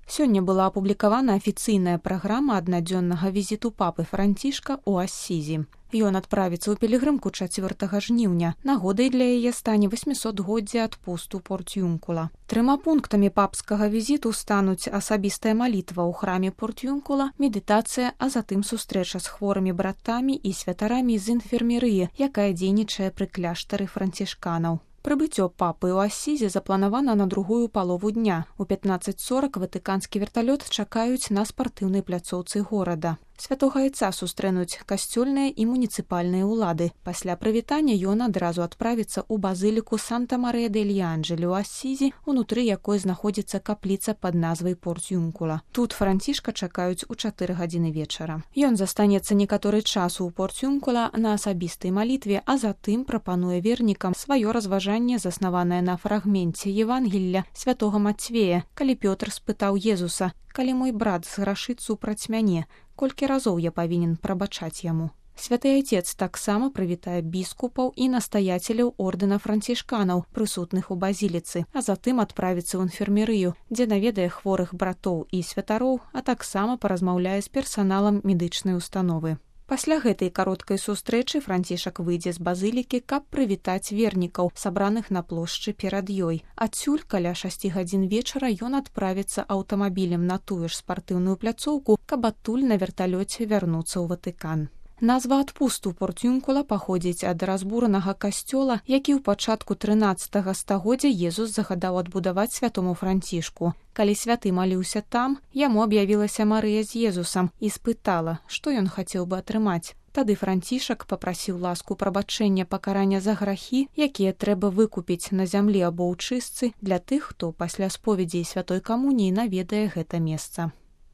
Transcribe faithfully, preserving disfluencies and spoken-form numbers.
Сёння была апублікавана афіцыйная праграма аднадзённага візіту папы Францішка ў Ассізі. Ён адправіцца ў пілігрымку чацвёртага жніўня. Нагодай для яе стане восьмісотгоддзе адпусту Порт-Юнкула. Трыма пунктамі папскага візіту стануць асабістая малітва ў храме Порт-Юнкула, медытацыя, а затым сустрэча з хворымі братамі і святарамі з інфермерыі, якая дзейнічае пры кляштары францішканаў. Прыбыццё папы ў Ассізе запланавана на другую палову дня. У пятнаццаць сорак ватыканскі верталёт чакаюць на спартыўнай пляцоўцы горада. Святога Айца сустрэнуць касцёльныя і муніцыпальныя ўлады. Пасля прывітання ён адразу адправіцца ў базыліку Санта-Марыя-дель-Анджелі ў Ассізі, унутры якой знаходзіцца капліца пад назвай Порт-Юнкула. Тут Францішка чакаюць у чатыры гадзіны вечара. Ён застанецца некаторы час у Порт-Юнкула на асабістай малітве, а затым прапануе вернікам сваё разважанне, заснаванае на фрагменце Евангелля святога Мацвея, калі Пётр спытаў Езуса: «Калі мой брат зграшыць супраць мяне, колькі разоў я павінен прабачаць яму?» Святы Айцец таксама прывітае біскупаў і настаяцеляў ордэна францішканаў, прысутных у базіліцы, а затым адправіцца ў інфермерыю, дзе наведае хворых братоў і святароў, а таксама паразмаўляе з персаналам медычнай установы. Пасля гэтай кароткай сустрэчы Францішак выйдзе з базылікі, каб прывітаць вернікаў, сабраных на плошчы перад ёй. Адсюль каля шасці гадзін вечара ён адправіцца аўтамабілем на тую ж спартыўную пляцоўку, каб адтуль на верталёце вярнуцца ў Ватыкан. Назва адпусту Порт-Юнкула паходзіць ад разбуранага касцёла, які ў пачатку трынаццатага стагоддзя Езус загадаў адбудаваць святому Францішку. Калі святы маліўся там, яму аб'явілася Марыя з Езусам і спытала, што ён хацеў бы атрымаць. Тады Францішак папрасіў ласку прабачэння пакарання за грахі, якія трэба выкупіць на зямлі або ў чыстцы для тых, хто пасля споведзі і святой камуніі наведае гэта месца.